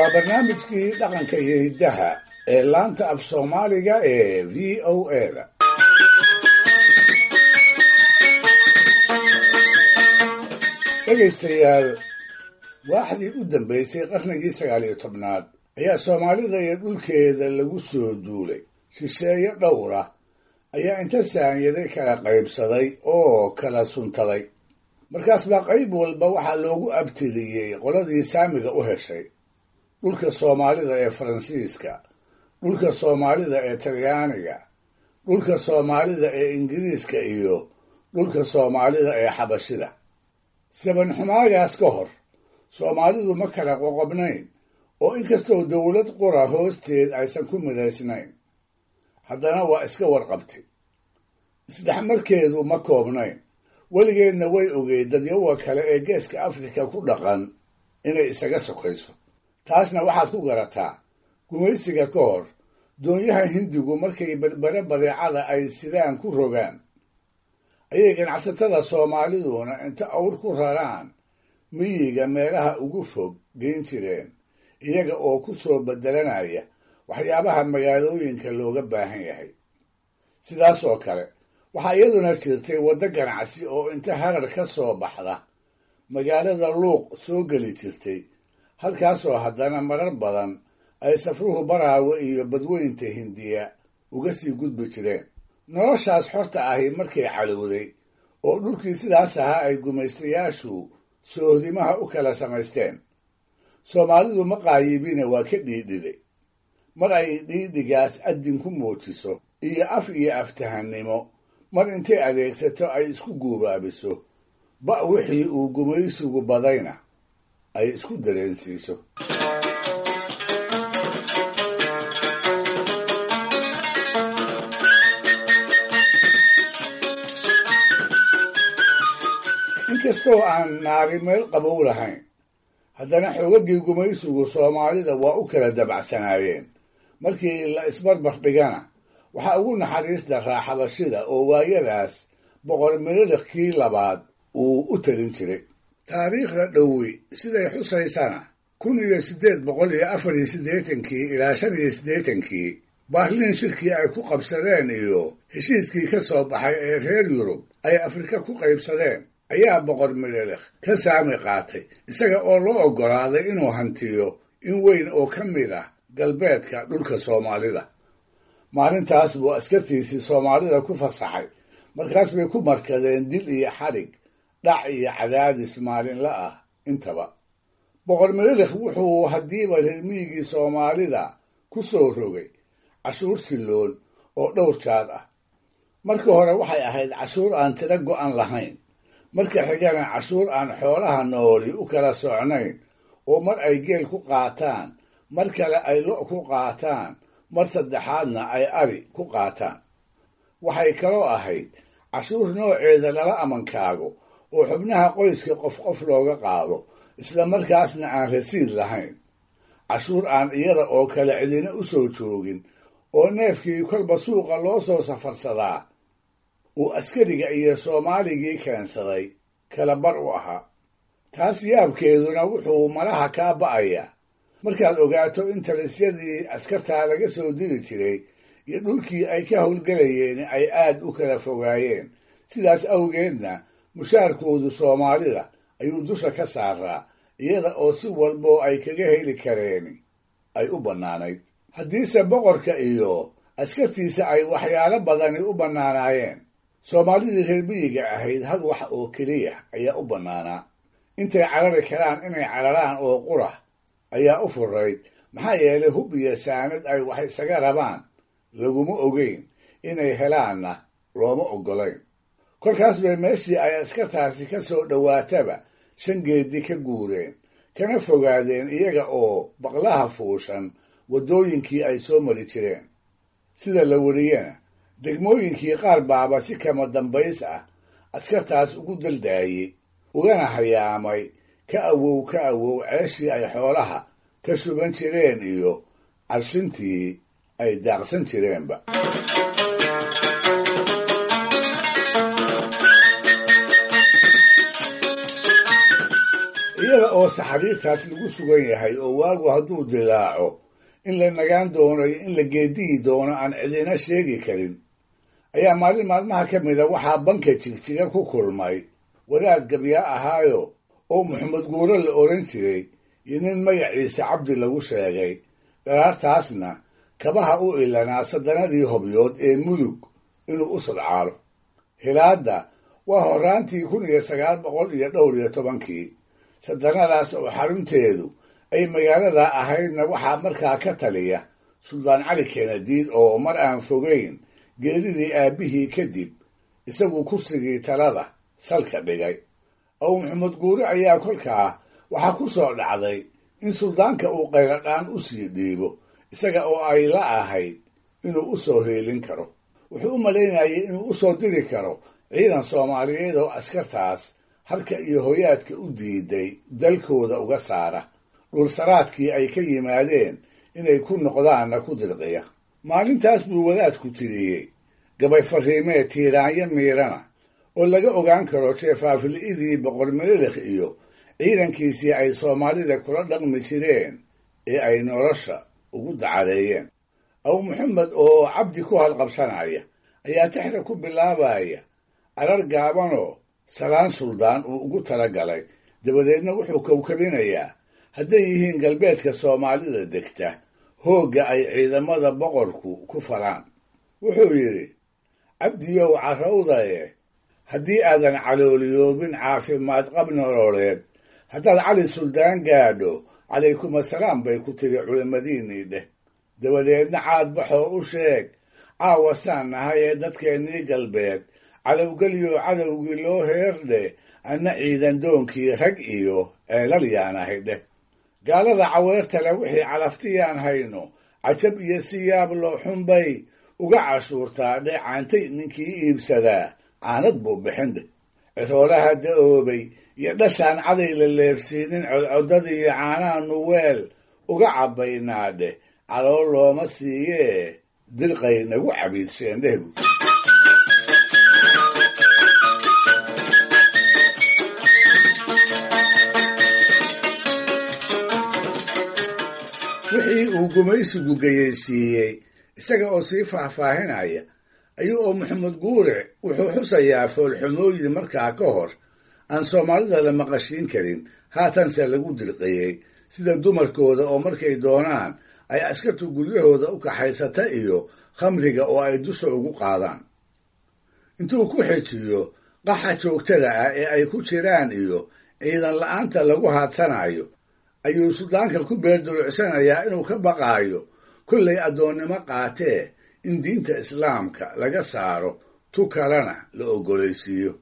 Waa barnaamijkii dhaqanka iyo hiddaha ee laanta af Soomaaliga ee VOA-da. Dhegaystayaal, waaxdii u dambaysay qarnigii 19aad ayaa Soomaalida iyo dhulkeeda lagu soo duulay. Shisheeye dhowra ayaa inta saanyaday kala qaybsaday oo kala suntaday. Markaas baa qayb walba waxaa loogu abtiriyey qoladii saamiga u heshay. Dhulka Soomaalida ee Faransiiska, dhulka Soomaalida ee Talyaaniga, dhulka Soomaalida ee Ingiriiska iyo dhulka Soomaalida ee Xabashida. Sabanxumaagaas ka hor, Soomaalidu ma kala qoqobnayn oo inkastoo dowlad qura hoosteed aysan ku midaysnayn, haddana waa iska warqabtay. Isdhexmarkeedu ma koobnayn, weligeedna way ogeyd dadyawa kale ee geeska Afrika ku dhaqan inay isaga sokayso. Taasna waxaad ku garataa gumaysiga ka hor, doonyaha Hindigu markay Berbere badeecada ay sidaan ku rogaan, ayay ganacsatada Soomaaliduna inta awr ku raraan miyiga meelaha ugu fog geyn jireen, iyaga oo ku soo beddelanaya waxyaabaha magaalooyinka looga baahan yahay. Sidaas oo kale waxaa iyaduna jirtay waddo ganacsi oo inta Harar ka soo baxda magaalada Luuq soo geli jirtay, halkaasoo haddana marar badan ay safruhu Baraawe iyo badweynta Hindiya uga sii gudbi jireen. Noloshaas xorta ahi markay calowday oo dhulkii sidaas ahaa ay gumaystayaashu soohdimaha u kala samaysteen, Soomaalidu ma qaayibine waa ka dhiidhiday. Mar ay dhiidhigaas addin ku muujiso iyo af iyo aftahannimo, mar intay adeegsato ay isku guubaabiso, ba wixii uu gumaysigu badayna ay isku dareensiiso. Inkastoo aan naari meel qabow lahayn, haddana xoogaggii gumaysigu Soomaalida waa u kala dabacsanaayeen. Markii la isbarbar dhigana, waxaa ugu naxariis daraa Xabashida oo waayadaas Boqor Mililikii labaad uu u talin jiray. Taariikhda dhowi siday xusaysana, 1884kii ilaa 85kii Baarliin shirkii ay ku qabsadeen iyo heshiiskii ka soo baxay ee reer Yurub ay Afrika ku qaybsadeen ayaa Boqor Mililikh ka saami qaatay, isaga oo loo oggolaaday inuu hantiyo in weyn oo ka mid ah galbeedka dhulka Soomaalida. Maalintaas buu askartiisii Soomaalida ku fasaxay, markaas bay ku markadeen dil iyo xadhig, dhac iyo cadaadis maalinla ah intaba. Boqor Mililikh wuxuu haddiiba reer miyigii Soomaalida ku soo rogay cashuur silloon oo dhowr jaad ah. Marka hore waxay ahayd cashuur aan tiro go'an lahayn, marka xigana cashuur aan xoolaha nooli u kala socnayn oo mar ay geel ku qaataan, mar kale ay lo' ku qaataan, mar saddexaadna ay ari ku qaataan. Waxay kaloo ahayd cashuur nooceeda lala amankaago oo xubnaha qoyska qof qof looga qaado, isla markaasna aan rasiid lahayn. Cashuur aan iyada oo kale cidina u soo joogin oo neefkii kolba suuqa loo soo safarsadaa uu askariga iyo Soomaaligii keensaday kala bar u ahaa. Taas yaabkeeduna wuxuu malaha kaa ba'ayaa markaad ogaato in talisyadii askartaa laga soo diri jiray iyo dhulkii ay ka howlgelayeen ay aad u kala fogaayeen. Sidaas awgeedna mushaarkoodu Soomaalida ayuu dusha ka saaraa, iyada oo si walboo ay kaga heli kareen ay u bannaanayd. Haddiise boqorka iyo askartiisa ay waxyaalo badani u bannaanaayeen, Soomaalidii reer miyiga ahayd hal wax oo keliya ayaa u bannaanaa. Intay carari karaan inay cararaan oo qura ayaa u furayd, maxaa yeelay hub iyo saanad ay wax isaga rabaan laguma ogeyn, inay helaanna looma oggolayn. Kolkaas bay meeshii ay askartaasi ka soo dhowaataba shan geedi ka guureen, kana fogaadeen iyaga oo baqlaha fuushan waddooyinkii ay soo mari jireen. Sida la weriyena, degmooyinkii qaar baaba si kama dambays ah askartaas ugu daldaayey, ugana hayaamay ka awow ka awow ceeshii ay xoolaha ka shuban jireen iyo carshintii ay daaqsan jireenba. Iyada oo saxariirtaas lagu sugan yahay oo waagu hadduu dilaaco in la nagaan doono iyo in la geediyi doono aan cidina sheegi karin, ayaa maalin maalmaha ka mida waxaa banka Jigjiga ku kulmay wadaad gabyaa ahaayo oo Maxamed Guuro la odhan jiray iyo nin magaciisa Cabdi lagu sheegay. Dharaartaasna kabaha u ilanaa sadanadii Hobyood ee Mudug inuu u sodcaalo. Hilaadda waa horraantii 1912-kii. Sadanadaas oo xarunteedu ay magaalada ahaydna waxaa markaa ka taliya Suldaan Cali Kenadiid oo mar aan fogeyn geeridii aabbihii kadib isagu kursigii talada salka dhigay. Aw Maxamed Guure ayaa kolkaa waxaa ku soo dhacday in suldaanka uu qayladhaan u sii dhiibo, isaga oo ay la ahayd inuu u soo heelin karo. Wuxuu u malaynayay inuu u soo diri karo ciidan Soomaaliyeed oo askartaas harka iyo hoyaadka u diiday dalkooda uga saara, dhulsaraadkii ay ka yimaadeen inay ku noqdaanna ku dirqiya. Maalintaas buu wadaadku tiriyey gabay fariimee tiiraanyo miirana oo laga ogaan karo jeefaafili'idii Boqor Mililikh iyo ciidankiisii ay Soomaalida kula dhaqmi jireen ee ay nolosha ugu dacareeyeen. Aw Maxamed oo Cabdi ku halqabsanaya ayaa tixda ku bilaabaya arar gaabanoo salaan suldaan uu ugu talagalay. Dabadeedna wuxuu kowkabinayaa hadday yihiin galbeedka Soomaalida degta hoogga ay ciidamada boqorku ku falaan. Wuxuu yidhi: Cabdiyow carrowdaye, haddii aadan calooliyoobin caafimaad qab nololeed, haddaad Cali Suldaan gaadho, calaykum asalaam bay ku tiri culimmadiinnii dheh. Dabadeedna caad baxoo u sheeg caawa saan nahay ee dadkeennii galbeed calowgelyo cadowgii loo heer dheh, anna ciidan doonkii rag iyo ceelal yaan ahay dheh. Gaalada caweertale wixii calaftiyaan hayno cajab iyo si yaab loo xunbay uga cashuurtaa dheh, caantay ninkii iibsadaa caanad buu bixin dheh. Ciroolaha da'oobay iyo dhashaan caday la leebsiinin codcodadiiyo caanaanu weel uga cabbaynaa dheh, calool looma siiyee dirqay nagu cabiidsheen dheh bu. Wixii uu gumaysigu geyeysiiyey isaga oo sii faahfaahinaya ayuu oo Maxamed Guure wuxuu xusayaa foolxumooyin markaa ka hor aan Soomaalida la maqashiin karin, haatanse lagu dirqiyey, sida dumarkooda oo markay doonaan ay askartu guryahooda u kaxaysata iyo khamriga oo ay dusha ugu qaadaan. Intuu ku xejiyo qaxa joogtada ah ee ay ku jiraan iyo ciidan la'aanta lagu haadsanayo, ayuu suldaanka ku beerdulucsanayaa inuu ka baqaayo kollay addoonnimo qaatee in diinta islaamka laga saaro tu kalena la oggolaysiiyo.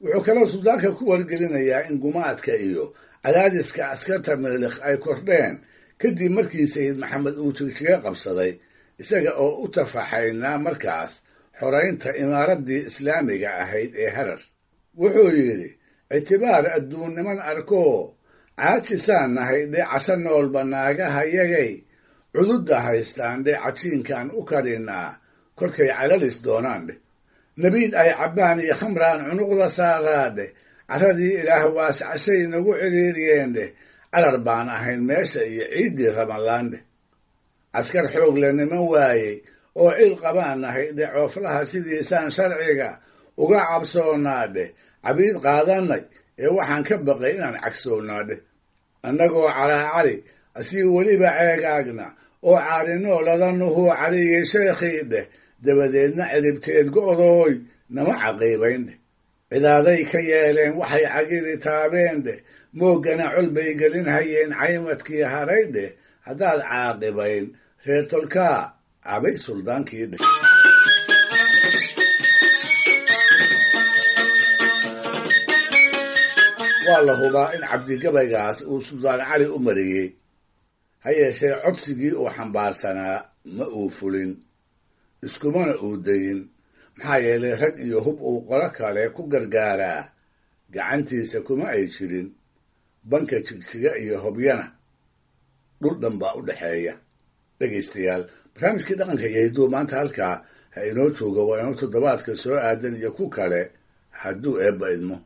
Wuxuu kaloo suldaanka ku wargelinayaa in gumaadka iyo cadaadiska askarta Mililikh ay kordheen kadib markii Sayid Maxamed uu Jigjiga qabsaday, isaga oo u tafaxaynaa markaas xoraynta imaaraddii islaamiga ahayd ee Harar. Wuxuu yidhi: ictibaar adduunniman arkoo caajisaan nahay dhe, casho noolba naagahayagay cududda haystaan dhe, cajiinkaan u karinaa kolkay calalis doonaan dheh, nabiid ay cabbaan iyo khamraan cunuqda saaraa dheh, carradii Ilaah waascashay nagu cidhiiriyeen dheh, carar baan ahayn meesha iyo ciiddii ramalaan dheh, askar xoog le niman waayey oo cil qabaan nahay dheh, cooflaha sidiisaan sharciga uga cabsoonnaa dheh, cabiid qaadanay ee waxaan ka baqay inaan cagsoonnaa dheh, annagoo calaacali asii weliba ceegaagna oo caarinoo ladanuhuu caliyey sheekhii dheh, dabadeedna ciribteed go'dooy nama caqiibayn dheh, cidaaday ka yeeleen waxay cagidi taabeen dheh, mooggana col bay gelin hayeen caymadkii haray dheh, haddaad caaqibayn reer tolkaa cabay suldaankii dheh. Waa la hubaa in Cabdigabaygaas uu Suldaan Cali u mariyey, ha yeeshee codsigii uu xambaarsanaa ma uu fulin, iskumana uu dayin, maxaa yeelay rag iyo hub uu qolo kale ku gargaaraa gacantiisa kuma ay jirin. Banka Jigjiga iyo Hobyana dhul dhan baa u dhexeeya. Dhegaystayaal, barnaamijkii dhaqanka iyo hidduu maanta halkaa ha inoo jooga. Waa inuu toddobaadka soo aadan iyo ku kale hadduu Eebba idmo.